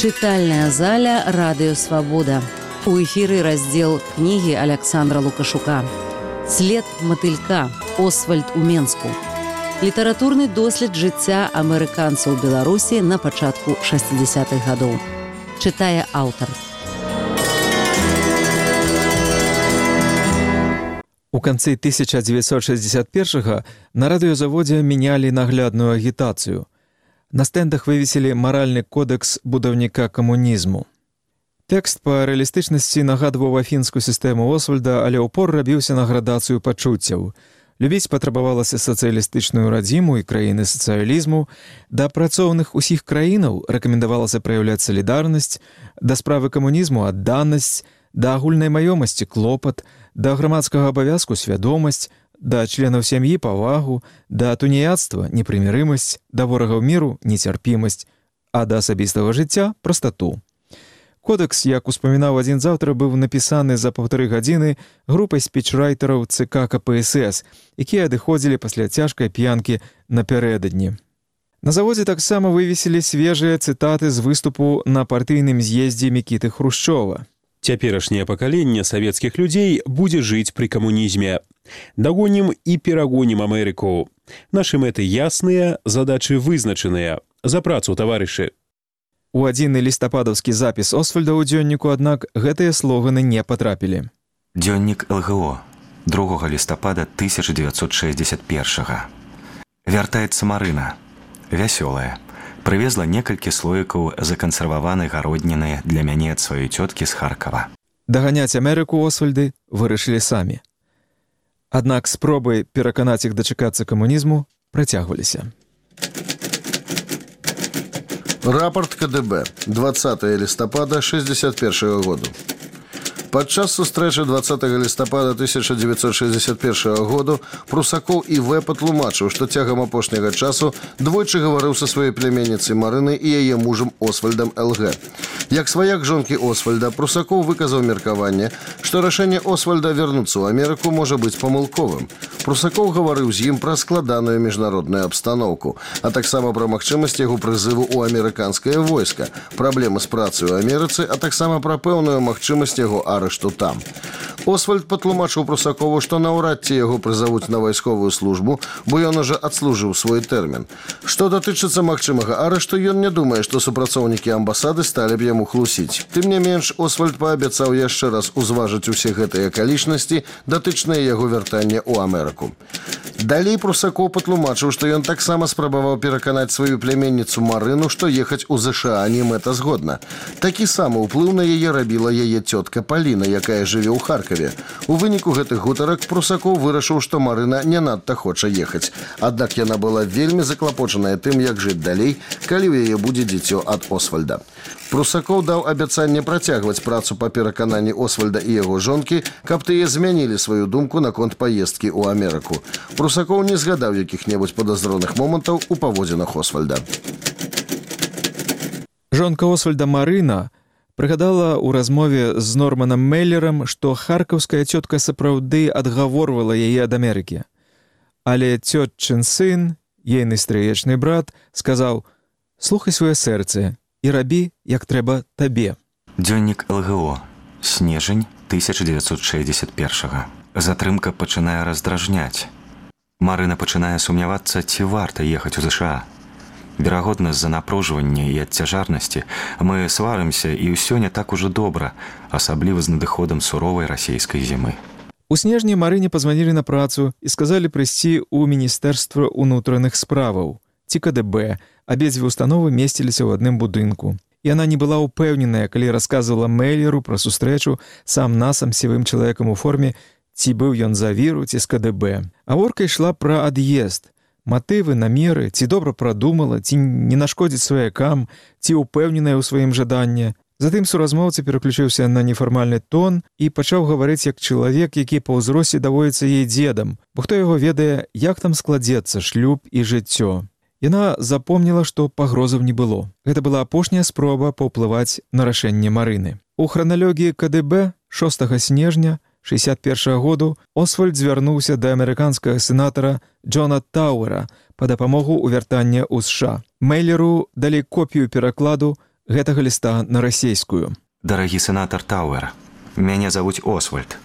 Чытальная заля «Радыё Свабода». У эфіры раздзел кнігі Аляксандра Лукашука «След матылька. Освальд у Менску». Літаратурны дослед жыцця амерыканцаў Беларусі на пачатку 60-х гадоў. Чытае аўтар. У канцы 1961-го на радыёзаводзе мянялі наглядную агітацыю. На стэндах вывесілі маральны кодэкс будаўніка камунізму. Тэкст па рэалістычнасці нагадваў афінскую сістэму Освальда, але ўпор рабіўся на градацыю пачуццяў. Любіць патрабавалася сацыялістычную радзіму і краіны сацыялізму, да працоўных усіх краінаў рэкамендавалася праяўляць салідарнасць, да справы камунізму адданасць, да агульнай маёмасці клопат, да грамадскага абавязку свядомасць, да членаў сям'і павагу, да туніяцтва непрымірымасць, да ворагаў міру нецярпімасць, а да асабістага жыцця прастату. Кодэкс, як успамінаў адзін з аўтараў, быў напісаны за 1,5 гадзіны групай спічрайтараў ЦК КПСС, якія адыходзілі пасля цяжкай п'янкі напярэдадні. На заводзе таксама вывесілі свежыя цытаты з выступу на партыйным з'ездзе Мікіты Хрушчова. Цяперашняе пакаленне савецкіх людзей будзе жыць пры камунізме. Дагонім і перагонім Амерыку. Нашы мэты ясныя, задачы вызначаныя. За працу, таварышы. У адзіны лістападаўскі запіс Освальда ў дзённіку, аднак, гэтыя слоганы не патрапілі. Дзённік ЛГО, 2 лістапада 1961. Вяртаецца Марына. Вясёлая. Прывезла некалькі слоікаў закансерваванай гародніны для мяне ад сваёй цёткі з Харкава. Даганяць Амерыку Освальды вырашылі самі. Аднак спробы пераканаць іх дачакацца камунізму працягваліся. Рапорт КДБ. 20 листопада 1961 году. Падчас сустрэчы 20 лістапада 1961 году Прусакоў І.В. патлумачыў, што цягам апошняга часу двойчы гаварыў са сваёй пляменніцай Марынай і яе мужам Освальдам Л.Г. Як сваяк жонкі Освальда, Прусакоў выказаў меркаванне, што рашэнне Освальда вярнуцца ў Амерыку можа быць памылковым. Прусакоў гаварыў з ім пра складаную міжнародную абстаноўку, а таксама пра магчымасць яго прызыву ў амерыканскае войска, праблемы з працай у Амерыцы, а таксама пра пэўную магчымасць яго арэшту там. Освальд патлумачыў Прусакову, што наўрад ці яго прызавуць на вайсковую службу, бо ён ужо адслужыў свой тэрмін. Што датычыцца магчымага арэшту, ён не думае, што супрацоўнікі амбасады сталі б яму хлусіць. Тым не менш, Освальд паабяцаў яшчэ раз узважыць усе гэтыя акалічнасці, датычныя яго вяртання ў Амерыку. Далей Прусакоў патлумачыў, што ён таксама спрабаваў пераканаць сваю пляменніцу Марыну, што ехаць у ЗША не мэтазгодна. Такі самы ўплыў на яе рабіла яе цётка Паліна, якая жыве ў Харкаве. У выніку гэтых гутарак Прусакоў вырашыў, што Марына не надта хоча ехаць. Аднак яна была вельмі заклапочаная тым, як жыць далей, калі ў яе будзе дзіцё ад Освальда. Прусакоў даў абяцанне працягваць працу па перакананні Освальда і яго жонкі, каб тыя змянілі сваю думку наконт паездкі ў Амерыку. Прусакоў не згадаў якіх-небудзь падазроных момантаў у паводзінах Освальда. Жонка Освальда Марына прыгадала ў размове з Норманам Мейлерам, што харкаўская цётка сапраўды адгаворвала яе ад Амерыкі. Але цётчын сын, ейны стрыечны брат, сказаў: «Слухай сваё сэрца і рабі, як трэба табе». Дзённік ЛГО. Снежань 1961. Затрымка пачынае раздражняць. Марына пачынае сумнявацца, ці варта ехаць у ЗША. Верагодна, з-за напружвання і адцяжарнасці мы сварымся, і ўсё не так ужо добра, асабліва з надыходам суровай расійскай зімы. У снежні Марыне пазванілі на працу і сказалі прыйсці ў Міністэрства ўнутраных справаў ці КДБ. Абедзве установы месціліся ў адным будынку. Яна не была ўпэўненая, калі расказвала Мейлеру пра сустрэчу сам-насам сівым чалавекам у форме, ці быў ён за віру, ці з КДБ. Гаворка ішла пра ад'езд. Матывы, намеры, ці добра прадумала, ці не нашкодзіць сваякам, ці ўпэўненая ў сваім жаданні. Затым суразмоўца пераключыўся на нефармальны тон і пачаў гаварыць як чалавек, які па ўзросце даводзіцца ей дзедам, бо хто яго ведае, як там складзецца шлюб і жыццё. Яна запомніла, што пагрозаў не было. Гэта была апошняя спроба паўплываць на рашэнне Марыны. У храналогіі КДБ 6 снежня 1961 году Освальд звярнуўся да амерыканскага сенатара Джона Тауэра па дапамогу ў вяртанне ў США. Мейлеру далі копію перакладу гэтага ліста на расейскую. Дарагі сенатар Тауэр, мяне завуць Освальд.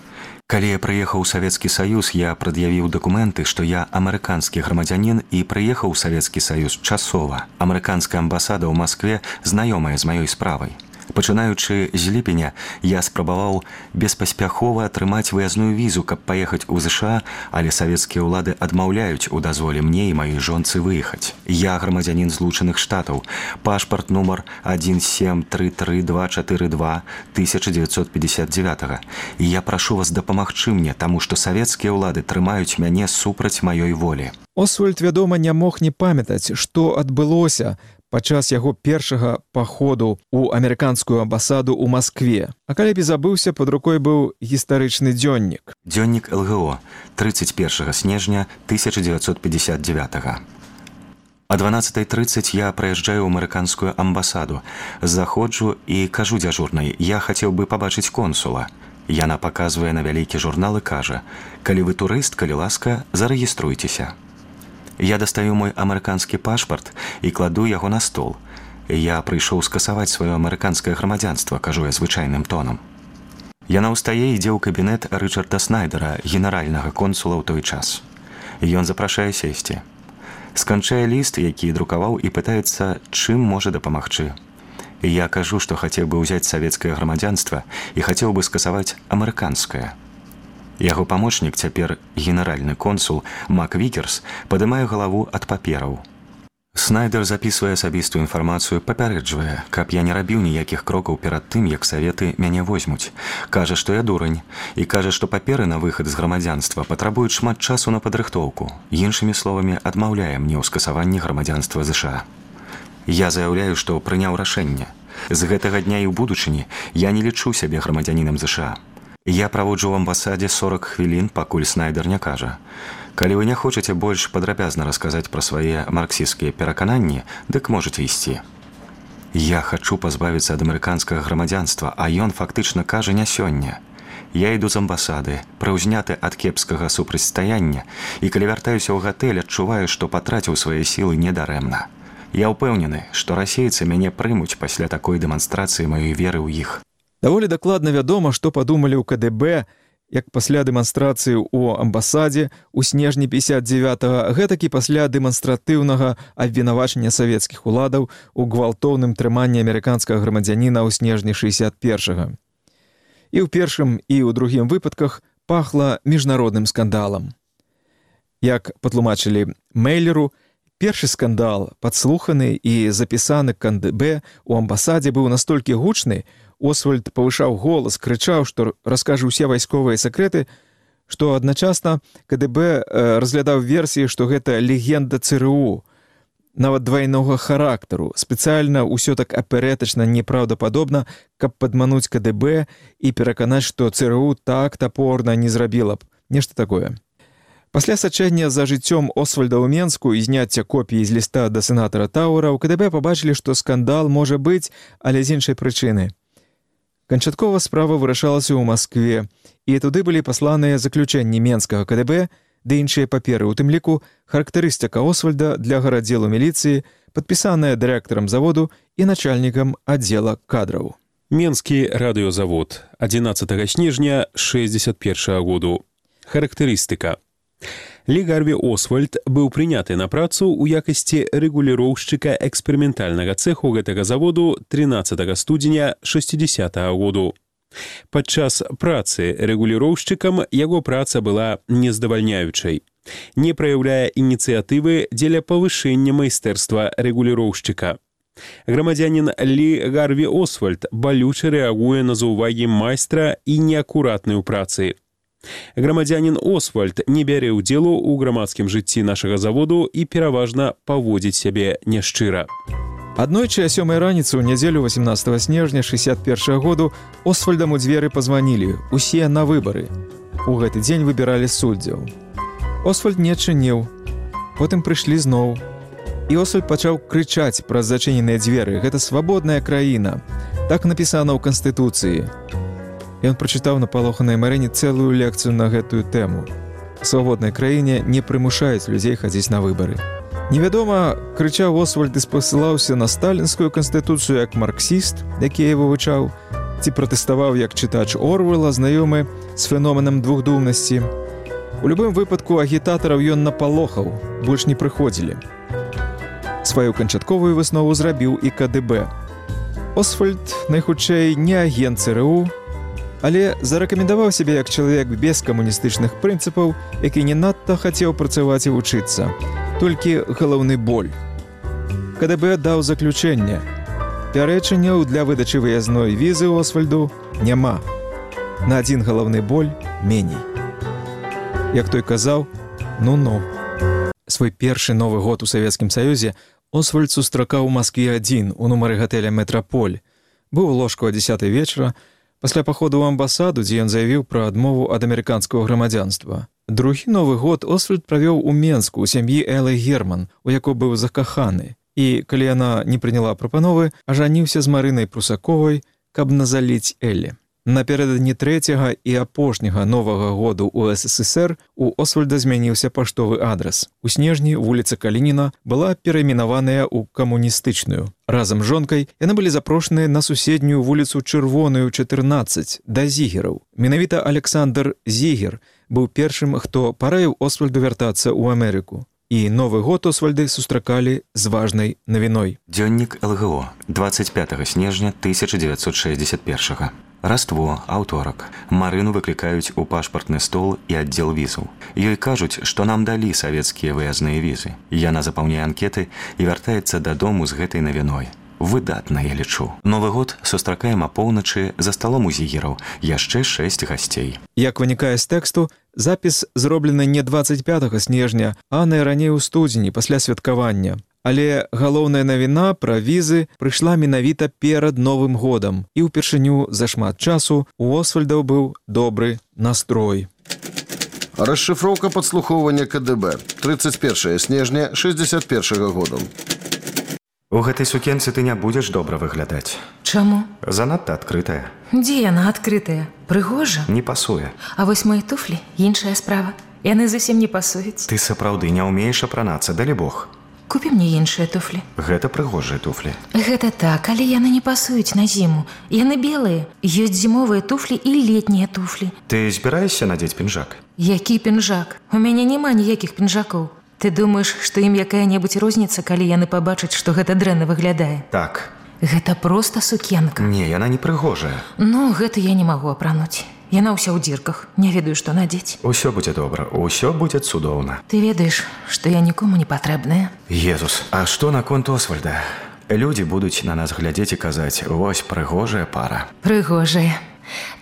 Калі я прыехаў у Савецкі Саюз, я прад'явіў дакументы, што я амерыканскі грамадзянін і прыехаў у Савецкі Саюз часова. Амерыканская амбасада ў Маскве знаёмая з маёй справай. Пачынаючы з ліпеня, я спрабаваў беспаспяхова атрымаць выязную візу, каб паехаць у ЗША, але савецкія ўлады адмаўляюць у дазволе мне і маёй жонцы выехаць. Я грамадзянін Злучаных Штатаў, пашпарт нумар 1733242 1959. І я прашу вас дапамагчы мне, таму што савецкія ўлады трымаюць мяне супраць маёй волі. Освальд, вядома, не мог не памятаць, што адбылося падчас яго першага паходу ў амерыканскую амбасаду ў Маскве. А калі б і забыўся, пад рукой быў гістарычны дзённік. Дзённік ЛГО 31 снежня 1959. О 12:30 я прыязджаю ў амерыканскую амбасаду. Заходжу і кажу дзяжурнай, я хацеў бы пабачыць консула. Яна паказвае на вялікі журнал і кажа, калі вы турыст, калі ласка, зарэгіструйцеся. Я дастаю мой амерыканскі пашпарт і кладу яго на стол. Я прыйшоў скасаваць сваё амерыканскае грамадзянства, кажу я звычайным тонам. Яна ўстае і ідзе ў кабінет Рычарда Снайдера, генеральнага консула ў той час. Ён запрашае сесці. Сканчае ліст, які друкаваў, і пытаецца, чым можа дапамагчы. Я кажу, што хацеў бы ўзяць савецкае грамадзянства і хацеў бы скасаваць амерыканскае. Яго памочнік, цяпер генеральны консул Мак Вікерс, падымае галаву ад папераў. Снайдер запісвае асабістую інфармацыю, папярэджвае, каб я не рабіў ніякіх крокаў перад тым, як саветы мяне возьмуць. Кажа, што я дурань, і кажа, што паперы на выхад з грамадзянства патрабуюць шмат часу на падрыхтоўку. Іншымі словамі, адмаўляе мне ў скасаванні грамадзянства ЗША. Я заяўляю, што прыняў рашэнне. З гэтага дня і ў будучыні я не лічу сябе грамадзянінам ЗША. Я праводжу ў амбасадзе 40 хвілін, пакуль Снайдер не кажа. Калі вы не хочаце больш падрабязна расказаць пра свае марксісцкія перакананні, дык можаце ісці. Я хачу пазбавіцца ад амерыканскага грамадзянства, а ён фактычна кажа не сёння. Я іду з амбасады, прыўзняты ад кепскага супрацьстаяння, і калі вяртаюся ў гатэль, адчуваю, што патраціў свае сілы недарэмна. Я ўпэўнены, што расейцы мяне прымуць пасля такой дэманстрацыі маёй веры ў іх. Даволі дакладна вядома, што падумалі ў КДБ, як пасля дэманстрацыі ў амбасадзе ў снежні 59-го, гэтак і пасля дэманстратыўнага абвінавачання савецкіх уладаў у гвалтоўным трыманні амерыканскага грамадзяніна ў снежні 61-го. І ў першым, і ў другім выпадках пахла міжнародным скандалам. Як патлумачылі Мейлеру, першы скандал, падслуханы і запісаны КДБ у амбасадзе, быў настолькі гучны, Освальд павышаў голас, крычаў, што раскажа ўсе вайсковыя сакрэты, што адначасна КДБ разглядаў версіі, што гэта легенда ЦРУ, нават двайнога характару, спецыяльна ўсё так аперэтачна непраўдападобна, каб падмануць КДБ і пераканаць, што ЦРУ так тапорна не зрабіла б. Нешта такое. Пасля сачэння за жыццём Освальда ў Менску і зняцця копіі з ліста да сенатара Тауэра, у КДБ пабачылі, што скандал можа быць, але з іншай прычыны. Канчаткова справа вырашалася ў Маскве, і туды былі пасланыя заключэнні Менскага КДБ ды іншыя паперы, у тым ліку характарыстыка Освальда для гарадзелу міліцыі, падпісаная дырэктарам заводу і начальнікам аддзела кадраў. Менскі радыёзавод 11 снежня 61 году. Характарыстыка. Лі Гарві Освальд быў прыняты на працу ў якасці рэгуліроўшчыка эксперыментальнага цэху гэтага заводу 13 студзеня 60-го году. Падчас працы рэгуліроўшчыкам яго праца была нездавальняючай. Не праяўляе ініцыятывы дзеля павышэння майстэрства рэгуліроўшчыка. Грамадзянін Лі Гарві Освальд балюча рэагуе на заўвагі майстра і неакуратнай у працы. Грамадзянін Освальд не бярэ ўдзелу ў грамадскім жыцці нашага заводу і пераважна паводзіць сябе няшчыра. Аднойчы о 7 раніцы ў нядзелю 18 снежня 61 году Освальдам у дзверы пазванілі, усе на выбары. У гэты дзень выбіралі суддзяў. Освальд не адчыніў, потым прыйшлі зноў. І Освальд пачаў крычаць праз зачыненыя дзверы: «Гэта свабодная краіна». Так напісана ў Канстытуцыі. Ён прачытаў на палоханай Марыне цэлую лекцыю на гэтую тэму. У свабоднай краіне не прымушаюць людзей хадзіць на выбары. Невядома, крычаў Освальд і спасылаўся на сталінскую канстытуцыю як марксіст, які я вывучаў, ці пратэставаў як чытач Орвелла, знаёмы з феноменам двухдумнасці. У любым выпадку агітатараў ён напалохаў, больш не прыходзілі. Сваю канчатковую выснову зрабіў і КДБ. Освальд, найхутчэй, не агент ЦРУ, але зарэкамендаваў сябе як чалавек без камуністычных прынцыпаў, які не надта хацеў працаваць і вучыцца. Толькі галаўны боль. КДБ даў заключэнне. Пярэчанняў для выдачы выязной візы Освальду няма. На адзін галаўны боль меней. Як той казаў, ну-ну. Свой першы Новы год у Савецкім Саюзе Освальд сустракаў у Маскве адзін у нумары гатэля «Метраполь». Быў у ложку о 10 вечара, пасля паходу ў амбасаду, дзе ён заявіў пра адмову ад амерыканскага грамадзянства. Другі Новы год Освальд правёў у Менску ў сям'і Элы Герман, у якой быў закаханы. І, калі яна не прыняла прапановы, ажаніўся з Марынай Прусаковай, каб назаліць Эллі. Напярэдадні трэцяга і апошняга Новага году ў СССР у Освальда змяніўся паштовы адрас. У снежні вуліца Калініна была перайменаваная ў камуністычную. Разам з жонкай яны былі запрошаныя на суседнюю вуліцу Чырвоную, 14, да зігераў. Менавіта Александр Зігер быў першым, хто параіў Освальду вяртацца ў Амерыку. І Новы год Освальды сустракалі з важнай навіной. Дзённік ЛГО, 25 снежня 1961. Раство, аўторак. Марыну выклікаюць у пашпартны стол і аддзел візаў. Ёй кажуць, што нам далі савецкія выязныя візы. Яна запаўняе анкеты і вяртаецца дадому з гэтай навіной. Выдатна, я лічу. Новы год сустракаем апоўначы за сталом у зігераў. Яшчэ 6 гасцей. Як вынікае з тэксту, запіс зроблены не 25 снежня, а найраней у студзені пасля святкавання. Але галоўная навіна пра візы прыйшла менавіта перад Новым годам, і ўпершыню за шмат часу у Освальдаў быў добры настрой. Расшифроўка падслухоўвання КДБ. 31 снежня 61 году. У гэтай сукенцы ты не будзеш добра выглядаць. Чаму? Занадта адкрытая. Дзе яна адкрытая? Прыгожа? Не пасуе. А вось мои туфлі – іншая справа. Яны зусім не пасуюць. Ты сапраўды не ўмееш апранацца, далі Бог. Купі мне іншыя туфлі. Гэта прыгожыя туфлі. Гэта так, але яны не пасуюць на зіму. Яны белыя. Ёсць зімовыя туфлі і летнія туфлі. Ты збіраешся надзець пінжак? Які пінжак? У мяне няма ніякіх пінжакоў. Ты думаеш, што ім якая-небудзь розніца, калі яны пабачаць, што гэта дрэнна выглядае? Так. Гэта проста сукенка. Не, яна не прыгожая. Ну, гэта я не магу апрануць. Яна ўся ў дзірках. Не ведаю, што надзець. Усё будзе добра, усё будзе цудоўна. Ты ведаеш, што я нікому не патрэбная. Езус, а што наконт Освальда? Людзі будуць на нас глядзець і казаць: вось прыгожая пара. Прыгожая.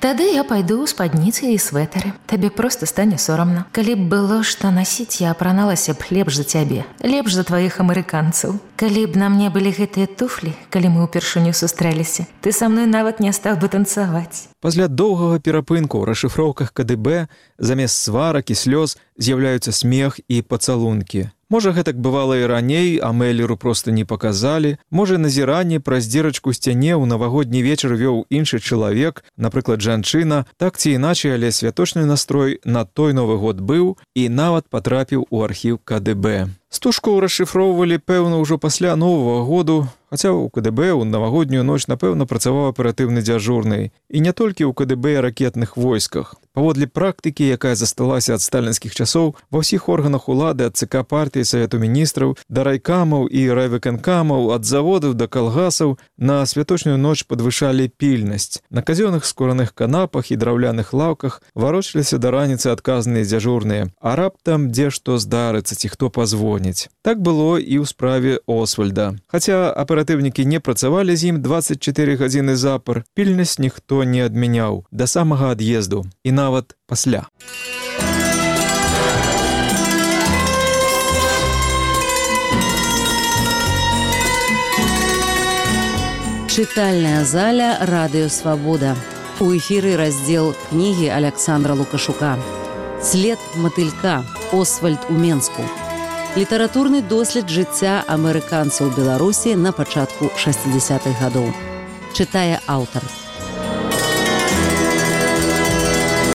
Тады я пайду ў спадніцы і свэтары. Табе проста стане сорамна. Калі б было што насіць, я апраналася б лепш за цябе, лепш за тваіх амерыканцаў. Калі б на мне былі гэтыя туфлі, калі мы ўпершыню сустрэліся, ты са мной нават не стаў бы танцаваць. Пасля доўгага перапынку ў расшыфроўках КДБ замест сварак і слёз з'яўляюцца смех і пацалункі. Можа, гэтак бывала і раней, а Мэллеру проста не паказалі. Можа, назіранне праз дзірачку сцяне ў навагодні вечар вёў іншы чалавек, напрыклад, жанчына. Так ці іначай, але святочны настрой на той Новы год быў і нават патрапіў у архіў КДБ. Стужку расшыфроўвалі, пэўна, ўжо пасля Новага году, хаця ў КДБ ў навагоднюю ноч, напэўна, працаваў аператыўны дзяжурны. І не толькі ў КДБ і ракетных войсках. Паводле практыкі, якая засталася ад сталінскіх часоў, ва ўсіх органах улады, ад ЦК партыі, Савету міністраў, да райкамаў і райвыканкамаў, ад заводаў да калгасаў, на святочную ноч падвышалі пільнасць. На казённых скураных канапах і драўляных лаўках варочаліся да раніцы адказныя дзяжурныя. А раптам дзе што здарыцца, ці хто пазвоніць. Так было і ў справе Освальда. Хаця аператыўнікі не працавалі з ім 24 гадзіны запар, пільнасць ніхто не адмяняў да самага ад'езду. І нават пасля. Чытальная заля «Радыё Свабода». У эфіры раздзел кнігі Александра Лукашука. «След матылька. Освальд у Менску». Літаратурны дослед жыцця амерыканцаў Беларусі на пачатку 60-х гадоў. Чытае аўтар.